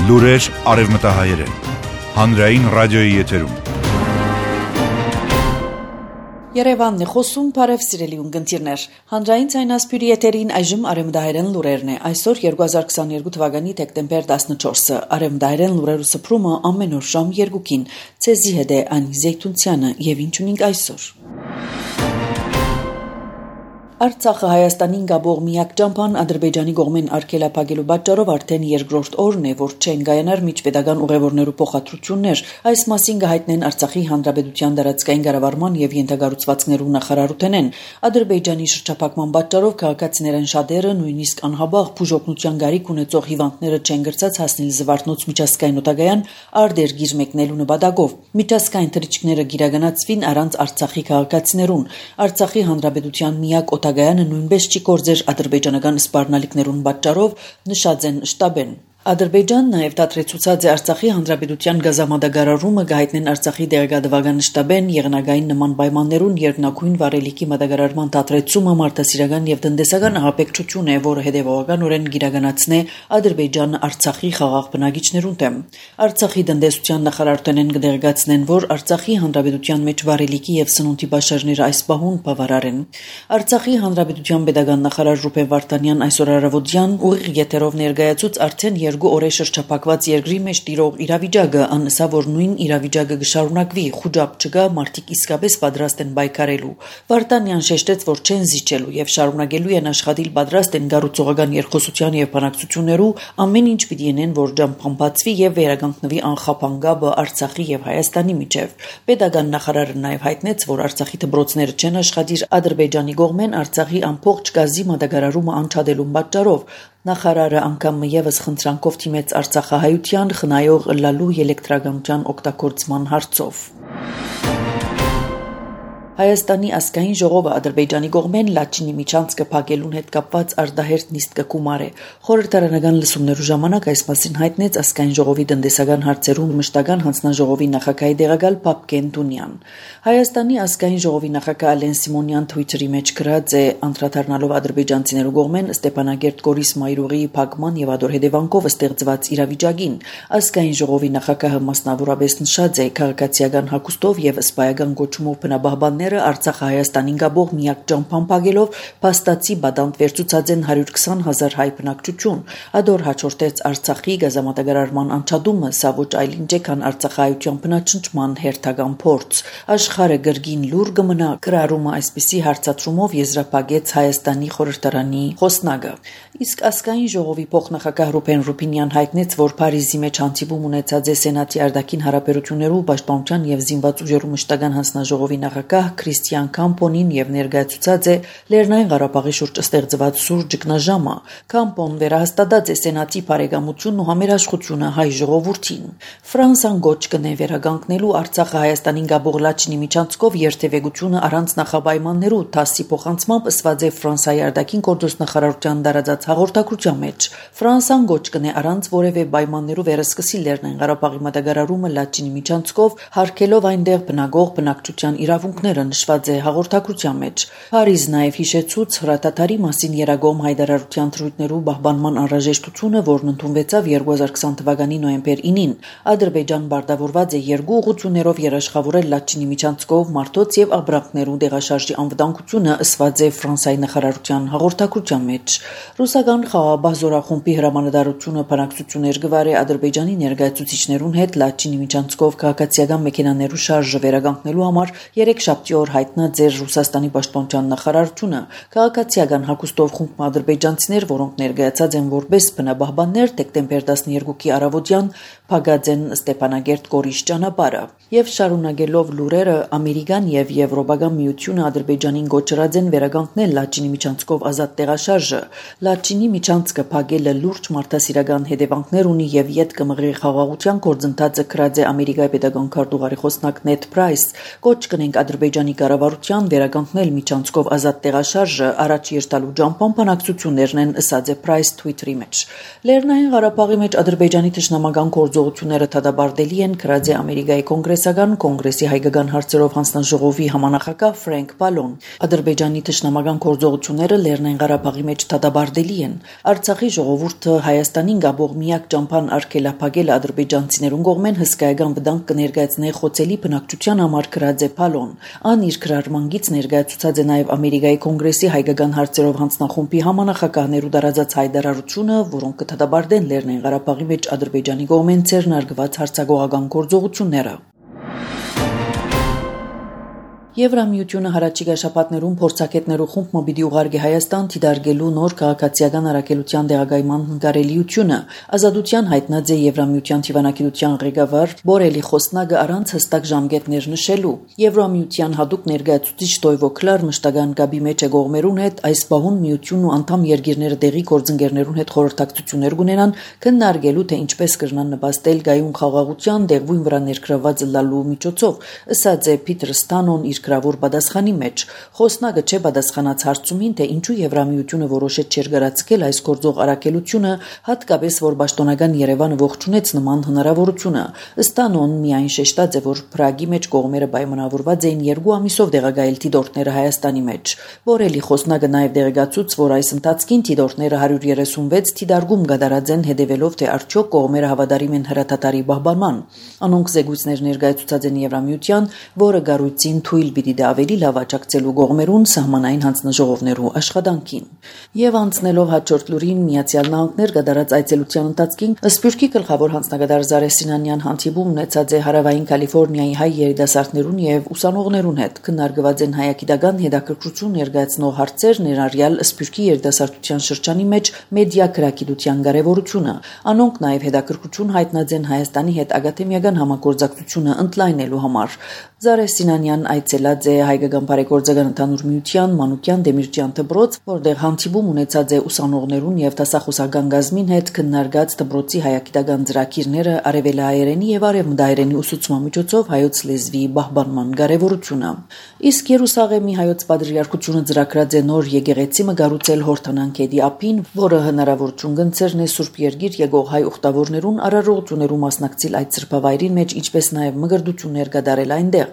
Լուրեր արևմտահայերեն, հանրային ռադիոյի եթերում։ Երևանն է խոսում, բարև սիրելի ունկնդիրներ։ Հանրային ցայնասպյուրի եթերին այժմ արևմտահայերեն լուրերն է։ Այսօր 2022 թվականի դեկտեմբեր 14-ը։ Արևմտահայերեն լուրերու սփռումը ամեն օր ժամ 2-ին։ Ցեզի հետ է Անի Զեյթունցյանը եւ ինչ ունենք այսօր։ Արցախը Հայաստանին գաբող միակ ճամփան Ադրբեջանի կողմեն արգելափակելու պատճառով արդեն երկրորդ օրն է, որ չեն կայանար միջպետական ուղևորներու փոխադրություններ։ Այս մասին կհայտնեն Արցախի Հանրապետության դարածքային կառավարման եւ ենթակառուցվածքներու նախարարութենեն։ Ադրբեջանի շրջափակման պատճառով քաղաքացիներն շատերը նույնիսկ անհաբաղ բուժօգնության գարիք ունեցող հիվանդները չեն գրծած հասնել Զվարթնոց միջազգային օտագայան արդերգիր մեկնելու նպատակով։ Միջազգային թռիչքները գիրագանացվին առանց Արցախի քաղաքացիներուն։ Արցախի Հանրապետության միակ օտագայանը նույնպես չի կորձեր ադրբեջանական սպառնալիքներուն պատճառով, նշած են շտաբեն։ Ադրբեջանն նաև դադրեցուցած է Արցախի Հանրապետության գազամատակարարումը գահիտնեն Արցախի դեղեկատվական շտաբեն եղնագային նման պայմաններուն երկնագույն վարելիքի մատակարարման դադրեցումը մարդասիրական եւ տնտեսական ահաբեկչություն է, որը հետեւողականորեն գիրագանացնե Ադրբեջանը Արցախի խաղաղ բնակիչներուն դեմ։ Արցախի տնտեսության նախարարութենեն կդեղեկացնեն, որ Արցախի Հանրապետության մեջ վարելիքի եւ սնունդի բաշարները այս պահուն բավարար են։ Արցախի Հանրապետության pedagogan նախարար Ռուբեն Վարդանյան այսօր առավոտյան ուղիղ եթերով ներկայացուց արդեն 2 օրե շրջափակված երկրի մեջ տիրող իրավիճակը, անսա որ նույն իրավիճակը կշարունակվի, խուճապ չկա, մարդիկ իսկապես պատրաստ են պայքարելու։ Վարդանյան շեշտեց, որ չեն զիջելու եւ շարունակելու են աշխատել, պատրաստ են գառուցողական երկխոսության եւ բանակցություններու, ամեն ինչ պիտի ենեն, որ ճամփան բացվի եւ վերականգնվի անխափան գաբը Արցախի եւ Հայաստանի միջեւ։ Պետական նախարարը նաեւ հայտնեց, որ Արցախի դպրոցները չեն աշխատիր Ադրբեջանի կողմեն Արցախի ամբողջ գազի մատակարարումը անչադելու պատճառով։ Նախարարը անգամ եւս խնդրանքով թիմեց Արցախահայության խնայող լալու էլեկտրականության օգտագործման հարցով։ Հայաստանի ազգային ժողովը Ադրբեջանի կողմեն Լաչինի միջանցքը փակելուն հետ կապված արդահերթ նիստ կգումարի։ Խորհրդարանական լսումներու ժամանակ այս մասին հայտնեց ազգային ժողովի տնտեսական հարցերուն մշտական հանձնաժողովի նախագահի դեղակալ Պապկեն Դունյան։ Հայաստանի ազգային ժողովի նախագահ Ալեն Սիմոնյան Twitter-ի մեջ գրած է, անդրադառնալով ադրբեջանցիներու կողմեն Ստեփանագերտ Գորիս Մայրուղիի փակման եւ ադոր հետևանքով ստեղծված իրավիճակին, ազգային ժողովի նախագահը մասնավորապես նշած է քաղաքացիական հագուստով եւ սպայական գոչումով բնաբահբաններ Արցախ-Հայաստանին գաբող միակ ճամփան փակելով փաստացի բադանտ վերցուցած են 120,000 հայ բնակչություն։ Ադոր հաջորդեց Արցախի գազամատակարարման անջատումը, սա ոչ այլ ինչ է, քան Արցախահայության բնաճնչման հերթական փորձ։ Աշխարհը գրգին լուր կմնա, գրառումը այսպիսի հարցադրումով եզրափակեց Հայաստանի խորհրդարանի խոսնակը։ Իսկ ազգային ժողովի փոխնախագահ Ռուբեն Ռուբինյան հայտնեց, որ Փարիզի մեջ հանդիպում ունեցած է Սենատի արտաքին հարաբերություններու պաշտպանության եւ զինված ուժերու մշտական հանձնաժողովի նախագահ Քրիստիան Կամպոնին եւ ներկայացուցած է Լեռնային Ղարաբաղի շուրջ ստեղծված սուր ճգնաժամը։ Կամպոն վերահաստատած է Սենատի բարեկամությունն ու համերաշխությունը հայ ժողովրդին։ Ֆրանսան գոչ կնե վերականգնելու Արցախը Հայաստանին գաբող Լաչինի միջանցքով երթևեկությունը առանց նախապայմաններու ՏԱՍՍ-ի փոխանցմամբ ըսված է Ֆրանսիայի արտաքին գործոս նախարարության դարաձած հաղորդակցության մեջ։ Ֆրանսան գոչ կնե առանց որևէ պայմաններու վերսկսի Լեռնային Ղարաբաղի մատակարարումը Լաչինի միջանցքով, հարկելով այնտեղ բնակող բնակչության իրավունքները, նշված է հաղորդակցության մեջ։ Փարիզ նաև հիշեցուց հրատատարի մասին երագոմ հայտարարության թրույթներու պահպանման անհրաժեշտությունը, որն ընդունվեցավ 2020 թվականի նոյեմբեր 9-ին։ Ադրբեջան բարտավորված է երկու ուղղություններով երաշխավորել Լաչինի միջանցքով մարդոց եւ աբրանքներու դեղաշարժի անվտանգությունը, ըսված է Ֆրանսիայի նախարարության հաղորդակցության մեջ։ Ռուսական խաղաղ զորախումբի հրամանատարությունը բանակցություններ գվարե Ադրբեջանի ներկայացուցիչներուն հետ Լաչինի միջանցքով քաղաքացիական մեքենաներու շարժը վերականգնելու համար 3 շաբթի օր հայտնած էր Ռուսաստանի պաշտպանության նախարարությունը։ Քաղաքացիական հագուստով խումբ ադրբեջանցիներ, որոնք ներկայացած են որպես բնաբահբաններ, դեկտեմբեր 12-ի առավոտյան փակած են Ստեփանագերտ Գորիս ճանապարհը։ Եվ շարունակելով լուրերը, Ամերիկան եւ Եվրոպական միությունը Ադրբեջանին գոչրած են վերականգնել Լաչինի միջանցքով ազատ տեղաշարժը։ Լաչինի միջանցքը փակելը լուրջ մարդասիրական հետևանքներ ունի եւ յետ կմղի խաղաղության գործընթացը գրած է Ամերիկայի պետական քարտուղարի խոսնակ Նեդ Պրայս։ Կոչ կնենք Ադրբեջանի Ադրբեջանի կառավարության վերականգնել միջանցքով ազատ տեղաշարժը առաջ երթալու ճամփան բանակցություններն են, ըսած է Price Twitter-ի մեջ։ Լեռնային Ղարաբաղի մեջ Ադրբեջանի թշնամական գործողությունները դադարեցելի են, գրած է Ամերիկայի կոնգրեսական կոնգրեսի հայկական հարցերով հանձնաժողովի համանախագահ Ֆրենկ Պալոն։ Ադրբեջանի թշնամական գործողությունները Լեռնային Ղարաբաղի մեջ դադարեցելի են։ Արցախի ժողովուրդը Հայաստանին գաբող միակ ճամփան արգելափակել ադրբեջանցիներուն կողմեն հսկայական վտանգ կներկայացնի խոցելի բնակչության համար, գրած է Պալոն։ Ան իր քրարմանգից ներկայացուցած է նաև Ամերիկայի կոնգրեսի հայկական հարցերով հանձնախումբի համանախագահներու դարածած հայտարարությունը, որոնք կդադարեն Լեռնային Ղարաբաղի մեջ Ադրբեջանի կողմեն ձեռնարկված հարձակողական գործողությունները։ Եվրամիությունը հարաճիգա շաբաթներուն փորձակետներու խումբ պիտի ուղարկի Հայաստան դիտարկելու նոր քաղաքացիական առաքելության դեղագայման հնարելիությունը։ Ազատության հայտնած է Եվրամիության թիվանակիտության ղեկավար Բորելի Խոսնագը առանց հստակ ժամկետներ նշելու։ Եվրամիության հadoop ներկայացուցիչ Տոյվո Կլար մշտական գաբի մեջ է կողմերուն հետ այս բահուն միությունն ու անդամ երկիրները դեղի գործընկերներուն հետ խորհրդակցություններ կունենան քննարկելու թե ինչպես կրնան նպաստել գայուն խաղաղության դեղույն վրա ներգրաված լալու միջոցով, ըսած է Փիթր Ստանոն իր գրավոր պատասխանի մեջ։ Խոսնագը չէ պատասխանած հարցումին, թե ինչու Եվրամիությունը որոշեց չերգարացկել այս գործող առաքելությունը, հատկապես որ պաշտոնական Երևանը ողջունեց նման հնարավորությունը։ Ստանոն միայն շեշտած է, որ Պրագի մեջ կողմերը պայմանավորված էին 2 ամիսով դեղագայել դիտորդները Հայաստանի մեջ։ Բորելի Խոսնագը նաև դեղեկացուց, որ այս ընթացքին դիտորդները 136 դիտարկում կատարած են, հետևելով թե արդյոք կողմերը հավատարիմ են հրաթաթարի պահպանման։ Անոնք զեկույցներ ներկայացուցած են Եվրամիության, որը գառույցին թույլ պիտի դա ավելի լավ աջակցելու կողմերուն սահմանային հանձնաժողովներու աշխատանքին։ Եվ անցնելով հաջորդ լուրին, Միացյալ Նահանգներ կատարած այցելության ընթացքին Սփյուռքի գլխավոր հանձնագետար Զարե Սինանյան հանդիպում ունեցած է Հարավային Կալիֆոռնիայի հայ երիտասարդներուն եւ ուսանողներուն հետ։ Քննարկված են հայագիտական հետաքրքրություն ներկայացնող հարցեր, ներառյալ Սփյուռքի երիտասարդության շրջանի մեջ մեդիա գրագիտության կարեւորությունը։ Անոնք նաեւ հետաքրքրություն հայտնած են Հայաստանի հետ ակադեմիական համագործակցությունը ընդլայնելու համար։ Զարե Սինանյան այցելած է հայկական բարեգործական ընդհանուր միության Մանուկյան Դեմիրճյան դպրոց, որտեղ հանդիպում ունեցած է ուսանողներուն եւ դասախոսական գազմին հետ քննարկած դպրոցի հայագիտական ծրագիրները, արևելահայերենի եւ արևմտահայերենի ուսուցման միջոցով հայոց լեզվի պահպանման կարեւորությունը։ Իսկ Երուսաղեմի հայոց պատրիարքությունը ծրագրած է նոր եկեղեցի մգարուցել Հորդանանքեդի ափին, որը հնարավորություն կընձեռնի Սուրբ Երկիր եկող հայ ուխտավորներուն արարողություններու մասնակցել այդ սրբավայրին մեջ, ինչպես նաեւ մգրդություններ կատարել այնտեղ։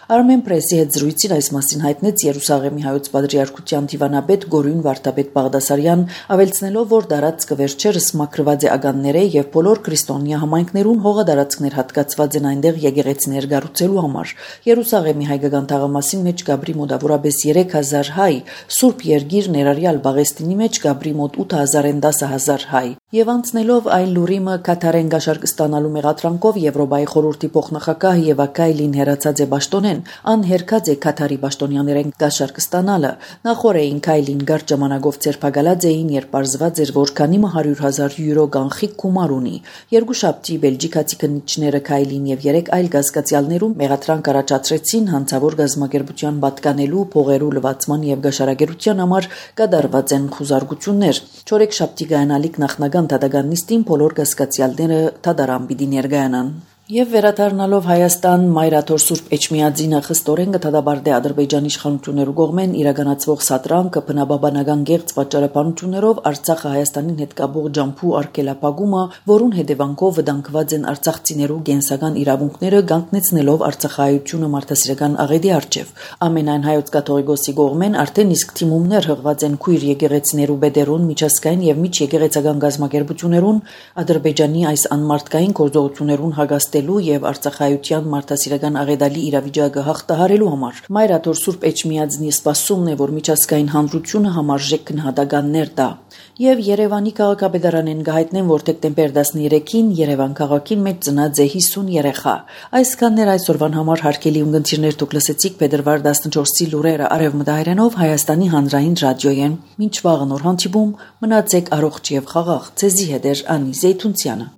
Armen Press-ի հետ զրույցին այս մասին հայտնեց Երուսաղեմի հայոց պատրիարքության դիվանապետ Գորյուն Վարդապետ Բաղդասարյան, ավելցնելով, որ դարածքը վերջերս մաքրված է ագանները եւ բոլոր քրիստոնյա համայնքներուն հողադարածքներ հատկացված են այնտեղ եկեղեցիներ կառուցելու համար։ Երուսաղեմի հայկական թաղամասին մեջ գաբրի մոտավորապես 3000 հայ, Սուրբ Երկիր ներառյալ Բաղեստինի մեջ գաբրի մոտ 8000-ին 10000 հայ։ Եվ անցնելով այլ լուրիմը Կաթարեն գաշարք ստանալու մեղադրանքով Եվրոպայի խորհրդի փոխնախագահ Եվա Կայլին հերացած է պաշտոնեն, անհերքած է Կաթարի պաշտոնյաներեն գաշարք ստանալը։ Նախորդին Կայլին գարջ ժամանակով ձերբակալած էին, երբ պարզված էր, որ քանի 100,000 յուրո կանխիկ գումար ունի։ Երկուշաբթի բելգիկացի քննիչները Կայլին եւ 3 այլ գազգացյալներում մեղադրանք առաջացրեցին հանցավոր գազམ་ակերպության պատկանելու, փողերու լվացման եւ գաշարագերության համար կատարված են խուզարկություններ։ Չորեքշաբթի գանալիք նախնական դատական նիստին բոլոր գազգացյալները դատարան պիտի ներկայանան։ Եվ վերադառնալով Հայաստան, Մայրաթոր Սուրբ Էջմիածինը խստորեն կդադարի Ադրբեջանի իշխանություններու կողմեն իրականացվող սատրանքը բնաբաբանական գեղձ պատճառաբանություններով Արցախը Հայաստանին հետ կապող ջամփու արգելափակումը, որուն հետևանքով վտանգված են արցախցիներու կենսական իրավունքները, կանգնեցնելով արցախահայությունը մարդասիրական աղետի առջև։ Ամենայն հայոց կաթողիկոսի կողմեն արդեն իսկ թիմումներ հղված են քույր եկեղեցիներու բեդերուն, միջազգային եւ միջեկեղեցական գազམ་ակերպություններուն Ադրբեջանի այս անմարտկային գործողություններուն հագաստելու եւ արցախայության մարդասիրական աղետալի իրավիճակը հաղթահարելու համար։ Մայրաթոր Սուրբ Էջմիածնի սպասումն է, որ միջազգային հանրությունը համարժեք գնահատականներ տա։ Եվ Երևանի քաղաքապետարանեն գահիտնեն, որ դեկտեմբեր 13-ին Երևան քաղաքին մեջ ծնած է 50 երեխա։ Այսքաններ այսօրվան համար հարգելի ունգընտիրներ, դուք լսեցիք փետրվար 14-ի լուրերը Արևմտահայերենով Հայաստանի հանրային ռադիոյեն։ Մինչ վաղը նոր հանդիպում, մնացեք առողջ եւ խաղաղ։ Ձեզի հետ է Անի Զեյթունցյանը։